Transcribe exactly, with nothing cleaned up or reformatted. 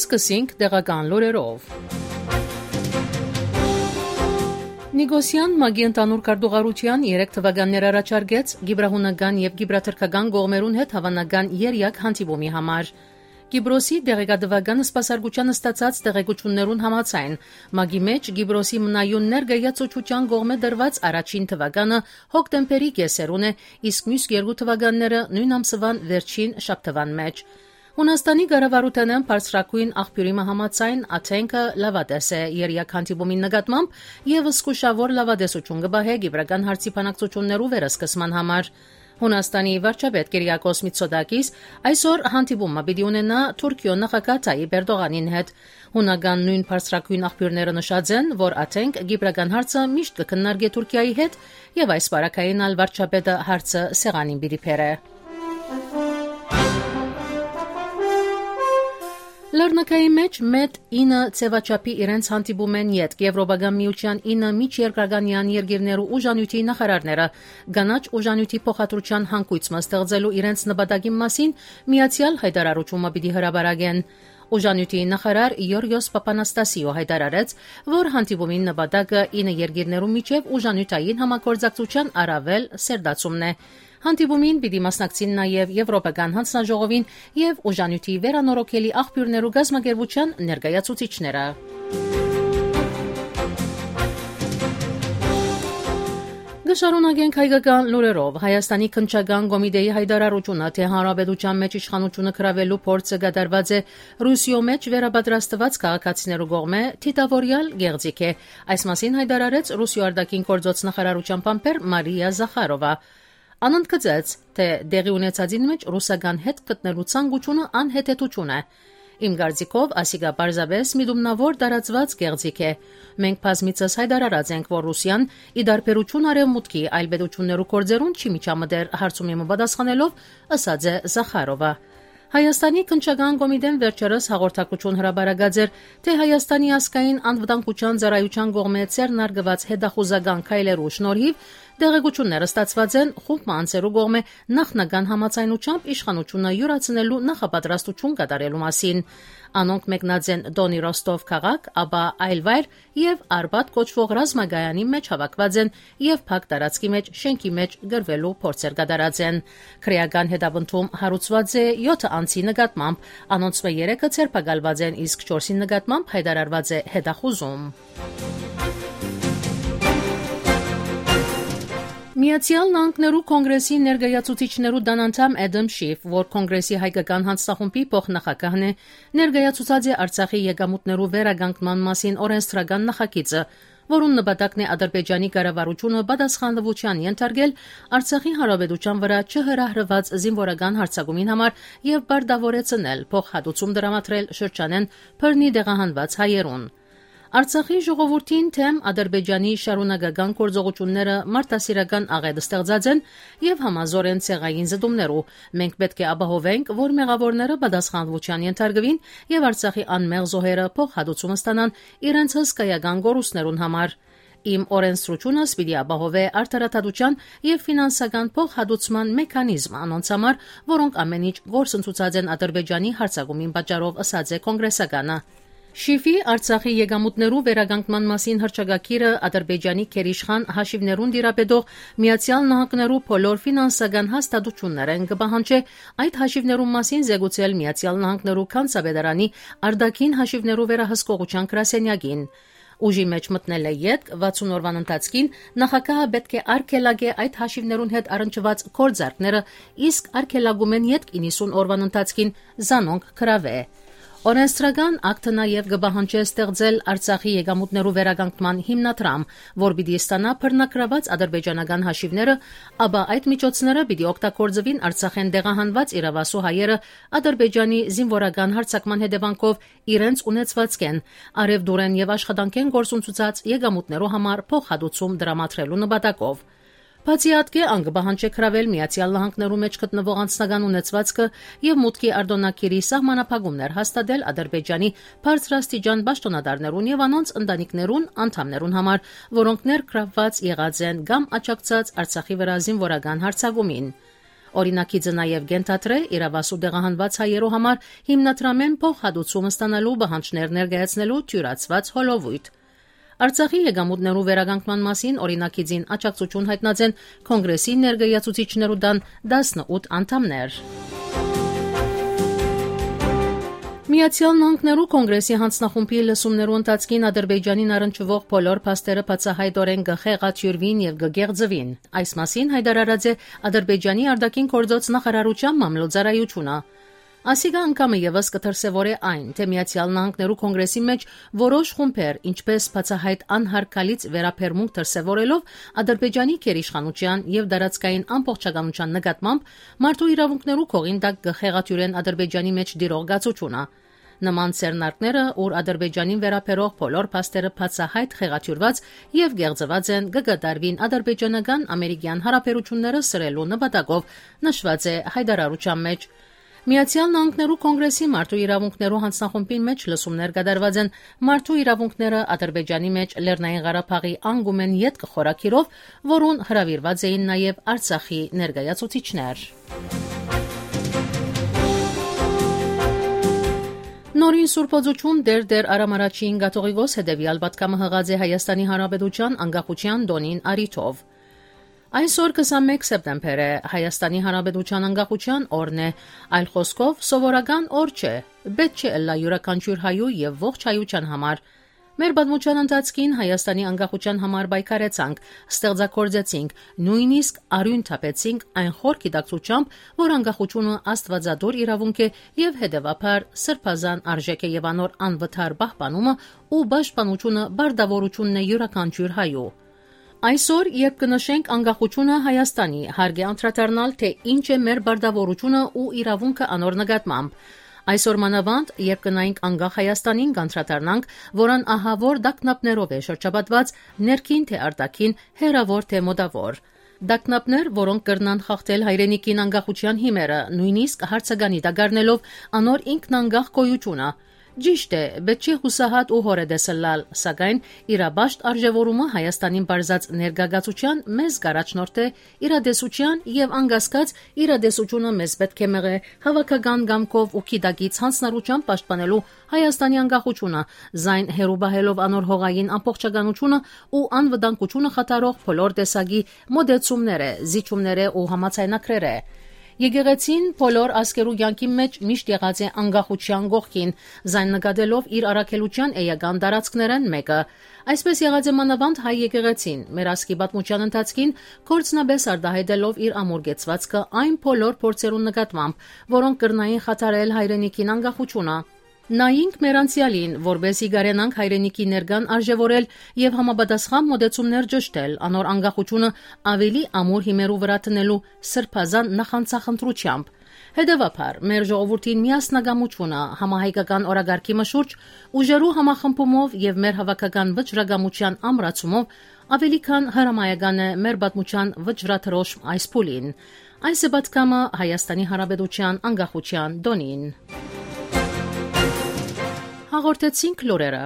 Սկսենք տեղական լուրերով։ Նիգոսյան մագի ընդանուր կարգավարության երեք թվականներ առաջարկեց գիբրահունական եւ գիբրաթրքական կողմերուն հետ հավանական երյակ հանդիպումի համար։ Կիպրոսի դեղեկատվական սպասարկության ստացած տեղեկություններուն համաձայն մագի մեջ Կիպրոսի մնայուն ներգայացուցչության կողմէ դրված առաջին թվականը հոկտեմբերի կեսերուն է, իսկ մյուս երկու թվականները նույն ամսվան վերջին շաբթվան մեջ։ Հունաստանի կառավարութենեն բարձրակույն աղբյուրի համաձայն Աթենքը լավադես է երյակ հանդիպումին նկատմամբ եւ զսկուշավոր լավադեսություն կբահե գիբրական հարցի բանակցություններու վերսկսման համար։ Հունաստանի վարչապետ Կիրիակոս Միցոդակիս այսօր հանդիպումը պիտի ունենա Թուրքիո նախագահ Թայիպ Էրդողանին հետ։ Հունական նույն բարձրակույն աղբյուրները նշած են, որ Աթենք գիբրական հարցը միշտ կքննարկի Թուրքիայի հետ եւ այս բարակային ալ վարչապետը հարցը սեղանին պիտի բերե։ Լեռնակայի մեջ մետ ինը ծեվաչափի իրենց հանդիպում են ետք Եվրոպական միության ինը միջերկրականյան երկիրներու ուժանյութի նախարարները գանաչ ուժանյութի փոխադրության հանգույցը ստեղծելու իրենց նպատակի մասին միացյալ հայտարարությունը պիտի հրապարակեն։ Ուժանյութի նախարար Յորգոս Պապանաստասիո հայտարարեց, որ հանդիպումին նպատակը ինը երկիրներու միջև ուժանյութային համագործակցության առավել սերտացումն է։ Հանդիպումին պիտի մասնակցին նաև Եվրոպական հանձնաժողովին եւ ուժանյութի վերանորոգելի աղբյուրներու գազམ་ակերպության ներկայացուցիչները։ Գշարունակենք հայկական լուրերով։ Հայաստանի քննչական կոմիտեի հայտարարությունը, թե հանրապետության մեջ իշխանությունը կրավելու փորձը կատարված է Ռուսիո մեջ վերապատրաստված քաղաքացիներու կողմէ, թիթավորյալ գեղձիկ է։ Այս մասին հայտարարեց Ռուսիո արտաքին գործոց նախարարության փամփեր Մարիա Զախարովա։ Անոնց կծեց, թե դեղի ունեցածին մեջ ռուսական հետ գտնելու ցանկությունը անհետեթություն է։ Իմ կարծիքով ասիկա պարզապես միդումնավոր տարածված գեղձիկ է։ Մենք բազմիցս հայտարարած ենք, որ Ռուսիան ի դարբերություն արևմուտքի այլ պետություններու կորձերուն չի միջամտեր հարցումի պատասխանելով, ըսած է Զախարովա։ Հայաստանի քննչական կոմիտեն վերջերս հաղորդակցություն հրապարակած էր, թե Հայաստանի ազգային անվտանգության ծառայության կողմէ ցերնարգված հետախուզական քայլերու շնորհիվ դեղեցությունները ստացված են խումբ անձերու կողմէ նախնական համաձայնությամբ իշխանությունը յուրացնելու նախապատրաստություն կատարելու մասին։ Անոնք մեկնած են Դոնի Ռոստով քաղաք, ապա Այլվայր եւ Արբադ կոչվող ռազմագայանի մեջ հավաքված են եւ փակ տարածքի մեջ շենքի մեջ գրվելու փորձեր կատարած են։ Քրեական հետապնդում հարուցված է յոթ անձի նկատմամբ, անոնց մե երեքը ցերպակալված են, իսկ չորսի նկատմամբ հայտարարված է հետախուզում։ Միացյալ Նահանգներու կոնգրեսի ներկայացուցիչներու դանանդամ Էդամ Շիֆ, որ կոնգրեսի հայկական հանձնախումբի փոխնախագահն է, ներկայացուցած է Արցախի եկամուտներու վերականգնման մասին օրենսդրական նախագիծը, որուն նպատակն է Ադրբեջանի կառավարությունը պատասխանատվության ենթարկել Արցախի հանրապետության վրա չհրահրված զինվորական հարձակումին համար եւ բարտավորեցնել փոխհատուցում դրամատրել շրջանեն բռնի դեղահանված հայերուն։ Արցախի ժողովրդին թեմ Ադրբեջանի շարունակական գործողությունները մարդասիրական աղետ ստեղծած են եւ համազոր են ցեղային զդումներով։ Մենք պետք է ապահովենք, որ մեղավորները պատասխանատվության ենթարկվին եւ Արցախի անմեղ զոհերը փոխհատուցում ստանան իրենց հսկայական գորուստներուն համար։ Իմ օրենսդրությունը պիտի ապահովե արդարադատության եւ ֆինանսական փոխհատուցման մեխանիզմ անոնց համար, որոնք ամեն ինչ գործընթացած են Ադրբեջանի հարձակումին պատճառով, ըսած է կոնգրեսականը։ Շիֆի Արցախի եկամուտներու վերականգնման մասին հռչակագիրը Ադրբեջանի քերիշխան հաշիվներուն դիրապետող Միացյալ Նահանգներու բոլոր ֆինանսական հաստատություններեն կպահանջի այդ հաշիվներու մասին զեկուցել Միացյալ Նահանգներու քանսաբեդարանի արտաքին հաշիվներու վերահսկողության գրասենյակին։ Ուժի մեջ մտնել է ետք վաթսուն օրվան ընթացքին նախագահը պետք է արգելագե այդ հաշիվներուն հետ առնչված գործարքները, իսկ արգելագում են ետք իննսուն օրվան ընթացքին զանոնք կրավե։ Օրենսդրական ակտը նաև կպահանջի ստեղծել Արցախի եկամուտներու վերականգնման հիմնադրամ, որ պիտի ստանա բռնակրաված ադրբեջանական հաշիվները, ապա այդ միջոցները պիտի օգտագործվին Արցախեն դեղահանված իրավասու հայերը Ադրբեջանի զինվորական հարձակման հետևանքով իրենց ունեցվածքեն, արևդուրեն եւ աշխատանքեն գործունեացած եկամուտներու համար փոխհատուցում դրամատրելու նպատակով։ Բացի ատկե անգբահանջե կրավել Միացյալ Նահանգներու մեջ գտնվող անձնական ունեցվածքը եւ մուտքի արտոնագիրի սահմանափակումներ հաստատել Ադրբեջանի բարձրաստիճան պաշտոնատարներուն եւ անոնց ընտանիքներուն անդամներուն համար, որոնք ներգրավված եղած են կամ աջակցած Արցախի վրա զինվորական հարձակումին։ Օրինակիցը նաև գենթատրե իրավասու դեղահանված հայերու համար հիմնադրամեն փոխհատուցում ստանալու բանջներ ներկայացնելու թյուրացված հոլովույթ։ Արցախի եկամուտներու վերականգնման մասին օրինակիցին աջակցություն հայտնած են կոնգրեսի ներկայացուցիչներու դան տասնութ անդամներ։ Միացյալ Նահանգներու կոնգրեսի հանձնախումբի լսումներու ընթացքին Ադրբեջանին առնչվող բոլոր փաստերը բացահայտորեն կխեղաթյուրվին եւ կգեղձվին։ Այս մասին հայտարարած է Ադրբեջանի արտաքին գործոց նախարարության մամլոյցարայությունը։ Ասիկա անգամը եւս կդրսեւորե այն, թե Միացյալ Նահանգներու կոնգրեսի մեջ որոշ խումբեր, ինչպես բացահայտ անհարգալից վերաբերմունք դրսեւորելով Ադրբեջանի քերիշխանության եւ դարածքային ամբողջականության նկատմամբ մարդու իրավունքներու կողին տակ կխեղաթյուրեն Ադրբեջանի մեջ դիրող գացությունը։ Նման ցերնարկները, որ Ադրբեջանին վերաբերող բոլոր փաստերը բացահայտ խեղաթյուրված եւ գեղձված են, կգդարվին ադրբեջանական ամերիկյան հարաբերությունները սրելու նպատակով, նշված է հայտարարության մեջ։ Միացյալ Նահանգներու կոնգրեսի մարդու իրավունքներու հանձնախումբի մեջ լսումներ կատարված են մարդու իրավունքները Ադրբեջանի մեջ Լեռնային Ղարաբաղի անգումեն յետ կխորակիրով, որուն հրավիրված էին նաև Արցախի ներկայացուցիչներ։ Նորին սուրբոձություն դեր դեր արամարաչին գաթողիկոս հետևյալ պատկամը հղած է Հայաստանի Հանրապետության անկախության տոնին արիթով։ Այսօր քսանմեկ սեպտեմբեր է, Հայաստանի Հանրապետության անկախության օրն է, այլ խոսքով սովորական օր չէ, պետք չէ ըլլա յուրաքանչյուր հայու եւ ողջ հայության համար։ Մեր պատմության ընթացքին Հայաստանի անկախության համար պայքարեցանք, ստեղծագործեցինք, նույնիսկ արյուն թափեցինք այն խոր գիտակցությամբ, որ անկախությունը աստվածադոր իրավունք է եւ հետեւաբար սրբազան արժեք է եւ անոր անվտար պահպանումը ու պաշտպանությունը բարդավորությունն է յուրաքանչյուր հայու։ Այսօր, երբ կնշենք անկախությունը Հայաստանի, հարկ է անդրադառնալ, թե ինչ է մեր բարդավորությունը ու իրավունքը անոր նկատմամբ։ Այսօր մանավանդ, երբ կնայինք անկախ Հայաստանին, կանդրադառնանք, որան ահավոր դակնապներով է շրջապատված, ներքին թե արտաքին, հեռավոր թե մոտավոր։ Դակնապներ, որոնք կրնան խախտել հայրենիքին անկախության հիմերը, նույնիսկ հարցականի դագարնելով անոր ինքնանկախ գոյությունը։ Ճիշտ է, պետք չէ հուսահատ ու հորեդեսլալ, սակայն իրաբաշտ արժևորումը Հայաստանին բարձած ներգաղացության մեզ գարաչնորդ է, իրադեսության եւ անգասկած իրադեսությունը մեզ պետք է մեղե հավաքական գամքով ու քիդագից հանձնառությամբ պաշտպանելու Հայաստանի անկախությունը, զայն հերուբահելով անոր հողային ամբողջականությունը ու անվտանգությունը խաթարող բոլոր տեսակի մոդեցումները, զիջումները ու համացայնակրերը։ Եկեղեցին բոլոր ազգերու յանքի մեջ միշտ եղած է անկախության գողքին, զայն նկատելով իր առաքելության էական տարածքներն մեկը։ Այսպես եղած է մանավանդ հայ եկեղեցին, մեր ազգի պատմության ընթացքին կորցնաբես արտահայտելով իր ամուրգեցվածքը այն բոլոր փորձերուն նկատմամբ, որոնք կրնային խաթարել հայրենիքին անկախությունը։ Նայինք մեր անցյալին, որբեսի գարենանք հայրենիքի ներկան արժևորել եւ համապատասխան մոդեցումներ ճշտել, անոր անկախությունը ավելի ամուր հիմերու վրա տնելու սրբազան նախանցախնդրությամբ։ Հետևաբար, մեր ժողովրդին միասնագամությունը համահայկական օրագարկի մշուրջ ուժերու համախմբումով եւ մեր հավաքական վճռագամության ամրացումով ավելի քան հրամայական է մեր պատմության վճռաթրոշ այս փուլին։ Այս է պատկամը Հայաստանի Հանրապետության անկախության տոնին։ Հաղորդեցինք լուրերը։